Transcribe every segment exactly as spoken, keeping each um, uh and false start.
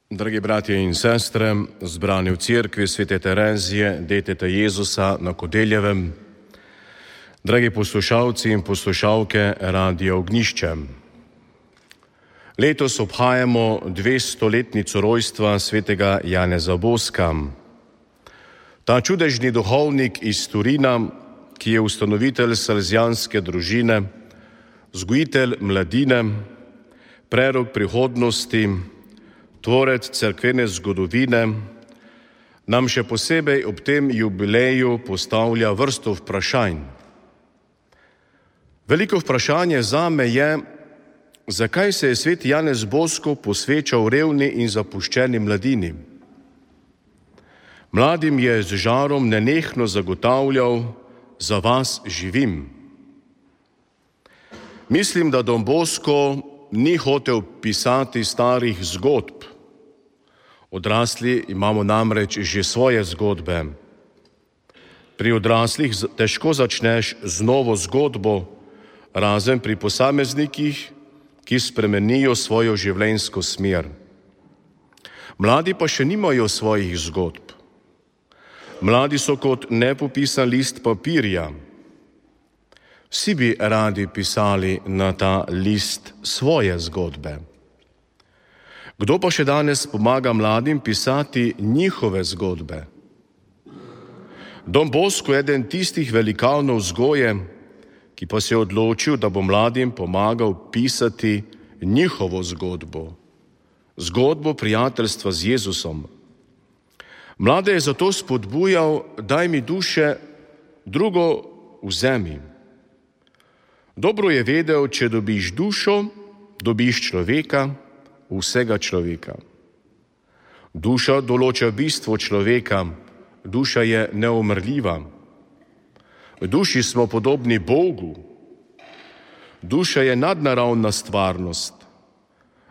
Dragi bratje in sestre, zbrani v cerkvi Svete Terezije, deteta Jezusa na Kodeljevem, dragi poslušalci in poslušalke Radia Ognjišče. Letos obhajamo dvestoletnico rojstva svetega Janeza Boska. Ta čudežni duhovnik iz Turina, ki je ustanovitelj salezjanske družine, vzgojitelj mladine, prerok prihodnosti, tvorec cerkvene zgodovine, nam še posebej ob tem jubileju postavlja vrsto vprašanj. Veliko vprašanje zame je, zakaj se je sveti Janez Bosko posvečal revni in zapuščeni mladini. Mladim je z žarom nenehno zagotavljal: za vas živim. Mislim, da Don Bosko ni hotel pisati starih zgodb. Odrasli imamo namreč že svoje zgodbe. Pri odraslih težko začneš z novo zgodbo, razen pri posameznikih, ki spremenijo svojo življenjsko smer. Mladi pa še nimajo svojih zgodb. Mladi so kot nepopisan list papirja. Vsi bi radi pisali na ta list svoje zgodbe. Kdo pa še danes pomaga mladim pisati njihove zgodbe? Don Bosko je eden tistih velikanov vzgoje, ki pa se je odločil, da bo mladim pomagal pisati njihovo zgodbo. Zgodbo prijateljstva z Jezusom. Mlade je zato spodbujal: daj mi duše, drugo vzemi. Dobro je vedel, če dobiš dušo, dobiš človeka, vsega človeka. Duša določa bistvo človeka, duša je neumrljiva. V duši smo podobni Bogu. Duša je nadnaravna stvarnost,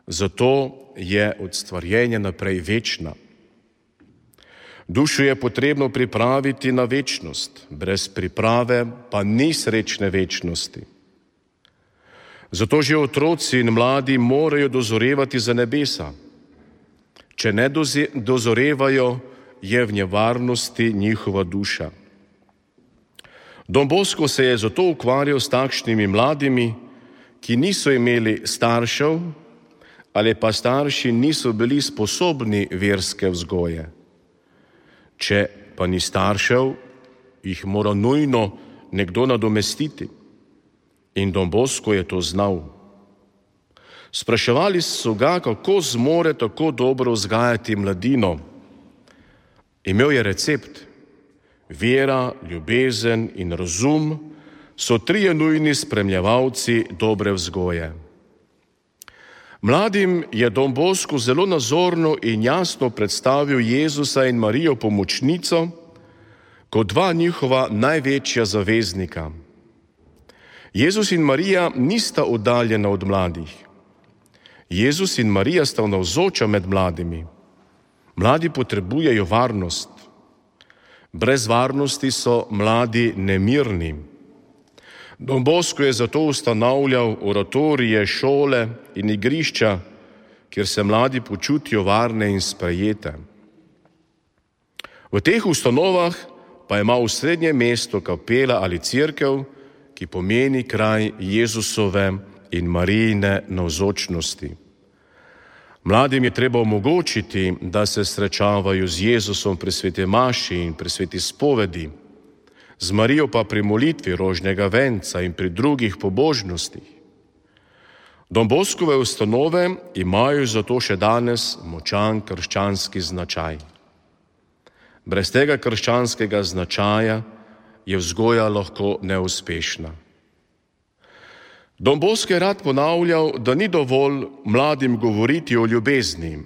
zato je od stvarjenja naprej večna. Dušo je potrebno pripraviti na večnost, brez priprave pa ni srečne večnosti. Zato že otroci in mladi morajo dozorevati za nebesa. Če ne dozorevajo, je v nevarnosti njihova duša. Don Bosko se je zato ukvarjal s takšnimi mladimi, ki niso imeli staršev ali pa starši niso bili sposobni verske vzgoje. Če pa ni staršev, jih mora nujno nekdo nadomestiti. In Don Bosko je to znal. Spraševali so ga, kako zmore tako dobro vzgajati mladino. Imel je recept. Vera, ljubezen in razum so trije nujni spremljevalci dobre vzgoje. Mladim je Don Bosko zelo nazorno in jasno predstavil Jezusa in Marijo pomočnico kot dva njihova največja zaveznika. Jezus in Marija nista oddaljena od mladih. Jezus in Marija sta navzoča med mladimi. Mladi potrebujejo varnost. Brez varnosti so mladi nemirni. Don Bosko je zato ustanavljal oratorije, šole in igrišča, kjer se mladi počutijo varne in sprejete. V teh ustanovah pa ima osrednje mesto kapela ali cerkev, ki pomeni kraj Jezusove in Marijine navzočnosti. Mladim je treba omogočiti, da se srečavajo z Jezusom pri sveti maši in pri sveti spovedi, z Marijo pa pri molitvi rožnega venca in pri drugih pobožnostih. Don Boskove ustanove imajo zato še danes močan krščanski značaj. Brez tega krščanskega značaja je vzgoja lahko neuspešna. Don Bosko je rad ponavljal, da ni dovolj mladim govoriti o ljubezni,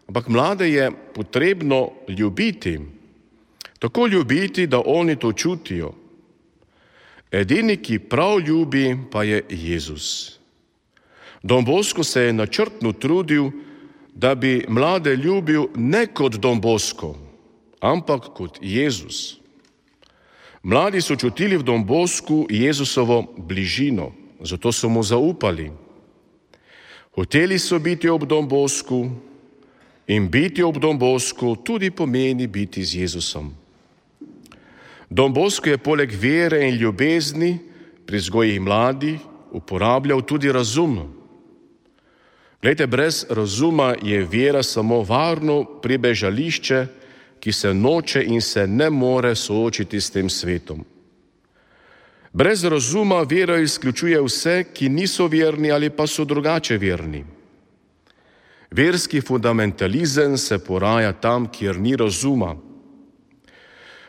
ampak mlade je potrebno ljubiti. Tako ljubiti, da oni to čutijo. Edini, ki prav ljubi, pa je Jezus. Don Bosko se je načrtno trudil, da bi mlade ljubil ne kot Don Bosko, ampak kot Jezus. Mladi so čutili v Don Bosku Jezusovo bližino, zato so mu zaupali. Hoteli so biti ob Don Bosku In biti ob Don Boscu tudi pomeni biti z Jezusom. Don Bosco je poleg vere in ljubezni pri vzgoji mladih uporabljal tudi razum. Glejte, brez razuma je vera samo varno pribežališče, ki se noče in se ne more soočiti s tem svetom. Brez razuma vera izključuje vse, ki niso verni ali pa so drugače verni. Verski fundamentalizem se poraja tam, kjer ni razuma.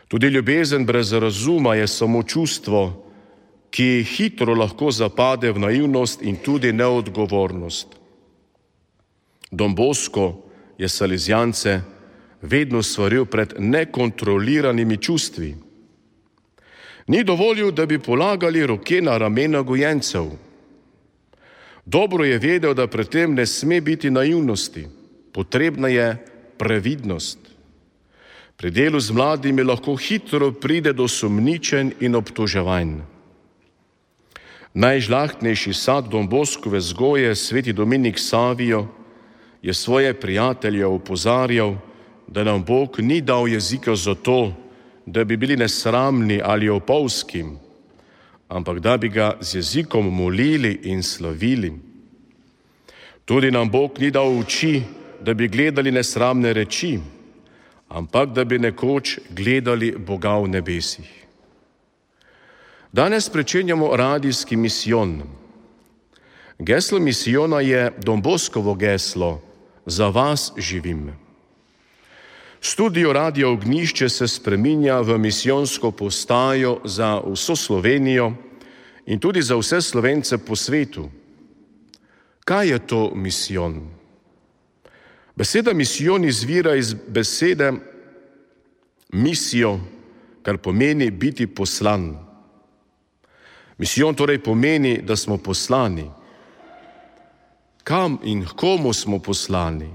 Tudi ljubezen brez razuma je samo čustvo, ki hitro lahko zapade v naivnost in tudi neodgovornost. Don Bosco je salezijance vedno svaril pred nekontroliranimi čustvi. Ni dovolil, da bi polagali roke na ramena gojencev. Dobro je vedel, da pred tem ne sme biti naivnosti, potrebna je previdnost. Pri delu z mladimi lahko hitro pride do sumničenj in obtoževanj. Najžlahtnejši sad Don Boscove vzgoje, sveti Dominik Savio, je svoje prijatelje opozarjal, da nam Bog ni dal jezika zato, da bi bili nesramni ali opolski, ampak da bi ga z jezikom molili in slavili. Tudi nam Bog ni dal oči, da bi gledali nesramne reči, ampak da bi nekoč gledali Boga v nebesih. Danes pričenjamo radijski misijon. Geslo misijona je Don Boscovo geslo: Za vas živim. Studio Radio Ognjišče se spreminja v misijonsko postajo za vso Slovenijo in tudi za vse Slovence po svetu. Kaj je to misijon? Beseda misijon izvira iz besede misijo, kar pomeni biti poslan. Misijon torej pomeni, da smo poslani. Kam in komu smo poslani?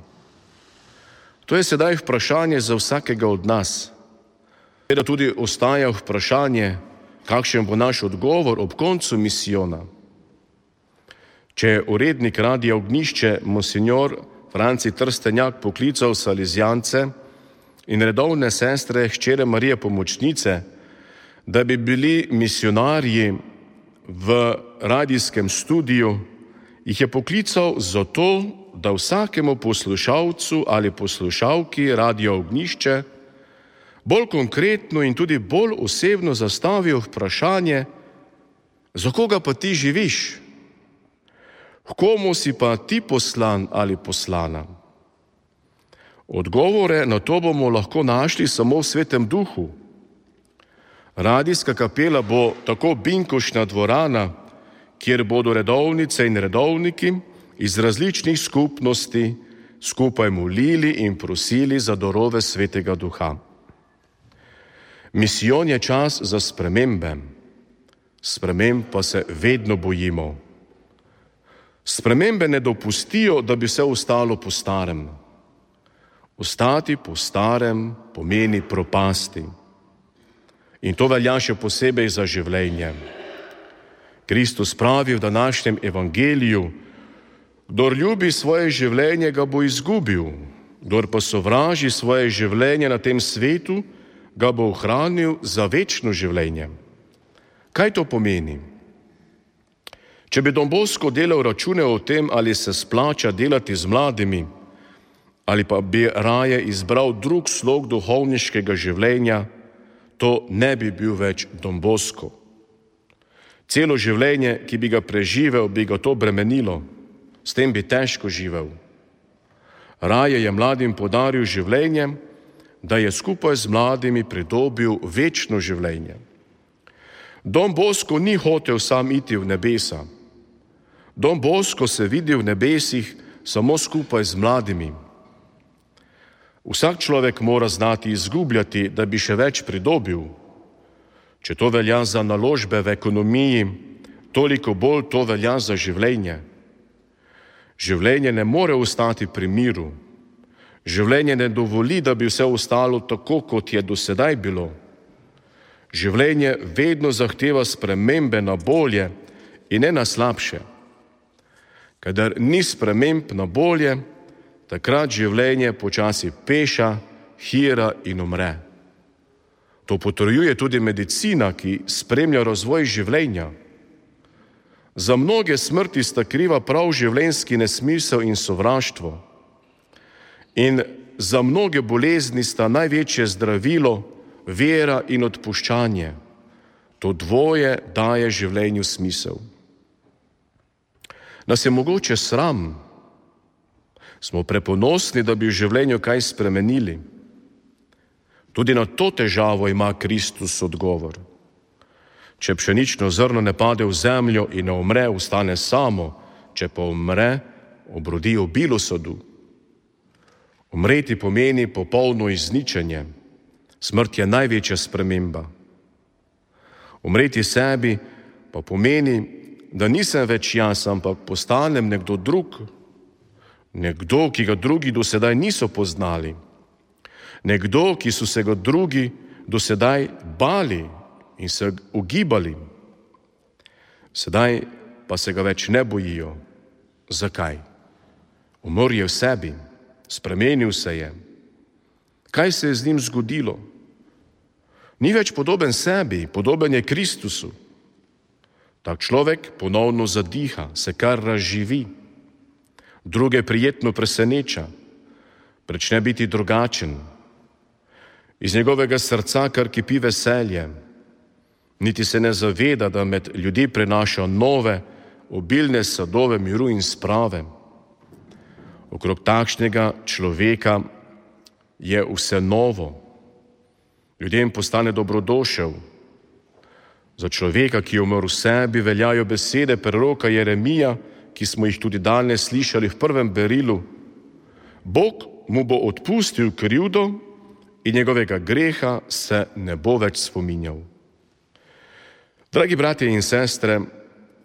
To je sedaj vprašanje za vsakega od nas. Seveda tudi ostaja vprašanje, kakšen bo naš odgovor ob koncu misijona. Če je urednik Radia Ognjišče monsinjor Franci Trstenjak poklical salezijance in redovne sestre hčere Marije Pomočnice, da bi bili misionarji v radijskem studiu, jih je poklical zato, da vsakemu poslušalcu ali poslušalki Radia Ognjišče bolj konkretno in tudi bolj osebno zastavijo vprašanje, za koga pa ti živiš? H komu si pa ti poslan ali poslana? Odgovore na to bomo lahko našli samo v Svetem Duhu. Radijska kapela bo tako binkošna dvorana, kjer bodo redovnice in redovniki iz različnih skupnosti skupaj molili in prosili za darove Svetega Duha. Misijon je čas za spremembe. Sprememb pa se vedno bojimo. Spremembe ne dopustijo, da bi vse ostalo po starem. Ostati po starem pomeni propasti. In to velja še posebej za življenje. Kristus pravi v današnjem evangeliju: kdor ljubi svoje življenje, ga bo izgubil, kdor pa sovraži svoje življenje na tem svetu, ga bo ohranil za večno življenje. Kaj to pomeni? Če bi Don Bosco delal račune o tem, ali se splača delati z mladimi, ali pa bi raje izbral drug slog duhovniškega življenja, to ne bi bil več Don Bosco. Celo življenje, ki bi ga preživel, bi ga to bremenilo, s tem bi težko živel. Raje je mladim podaril življenje, da je skupaj z mladimi pridobil večno življenje. Don Bosco ni hotel sam iti v nebesa. Don Bosco se vidi v nebesih samo skupaj z mladimi. Vsak človek mora znati izgubljati, da bi še več pridobil. Če to velja za naložbe v ekonomiji, toliko bolj to velja za življenje. Življenje ne more ostati pri miru. Življenje ne dovoli, da bi vse ostalo tako, kot je do sedaj bilo. Življenje vedno zahteva spremembe na bolje in ne na slabše. Kadar ni sprememb na bolje, takrat življenje počasi peša, hira in umre. To potrjuje tudi medicina, ki spremlja razvoj življenja. Za mnoge smrti sta kriva prav življenjski nesmisel in sovraštvo. In za mnoge bolezni sta največje zdravilo vera in odpuščanje. To dvoje daje življenju smisel. Nas je mogoče sram, smo preponosni, da bi v življenju kaj spremenili. Tudi na to težavo ima Kristus odgovor. Če pšenično zrno ne pade v zemljo in ne umre, ostane samo, če pa umre, obrodi obilo sadu. Umreti pomeni popolno izničenje. Smrt je največja sprememba. Umreti sebi pa pomeni, da nisem več jaz, ampak postanem nekdo drug. Nekdo, ki ga drugi do sedaj niso poznali. Nekdo, ki so se ga drugi do sedaj bali in se ugibali. Sedaj pa se ga več ne bojijo. Zakaj? Umrl je v sebi, spremenil se je. Kaj se je z njim zgodilo? Ni več podoben sebi, podoben je Kristusu. Tak človek ponovno zadiha, se kar razživi. Druge prijetno preseneča, prične biti drugačen. Iz njegovega srca kar kipi veselje. Niti se ne zaveda, da med ljudi prenaša nove, obilne sadove miru in sprave. Okrog takšnega človeka je vse novo. Ljudem postane dobrodošel. Za človeka, ki je umrl v sebi, veljajo besede preroka Jeremija, ki smo jih tudi danes slišali v prvem berilu. Bog mu bo odpustil krivdo in njegovega greha se ne bo več spominjal. Dragi bratje in sestre,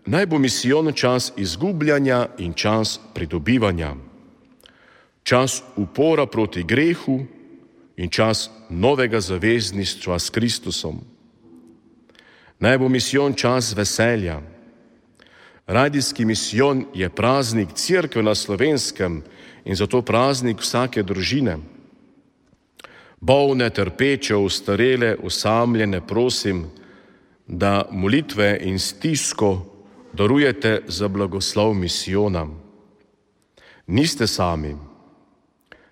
naj bo misijon čas izgubljanja in čas pridobivanja. Čas upora proti grehu in čas novega zavezništva s Kristusom. Naj bo misijon čas veselja. Radijski misijon je praznik Cerkve na Slovenskem in zato praznik vsake družine. Bolne, trpeče, ostarele, osamljene prosim, da molitve in stisko darujete za blagoslov misijona. Niste sami.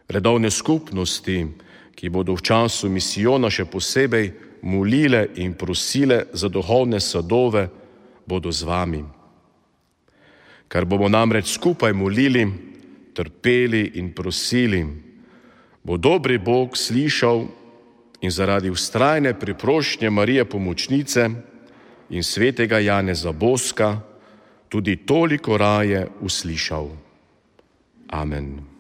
Redovne skupnosti, ki bodo v času misijona še posebej molile in prosile za duhovne sadove, bodo z vami. Ker bomo namreč skupaj molili, trpeli in prosili, bo dobri Bog slišal in zaradi vztrajne priprošnje Marije Pomočnice in svetega Janeza Boska tudi toliko raje uslišal. Amen.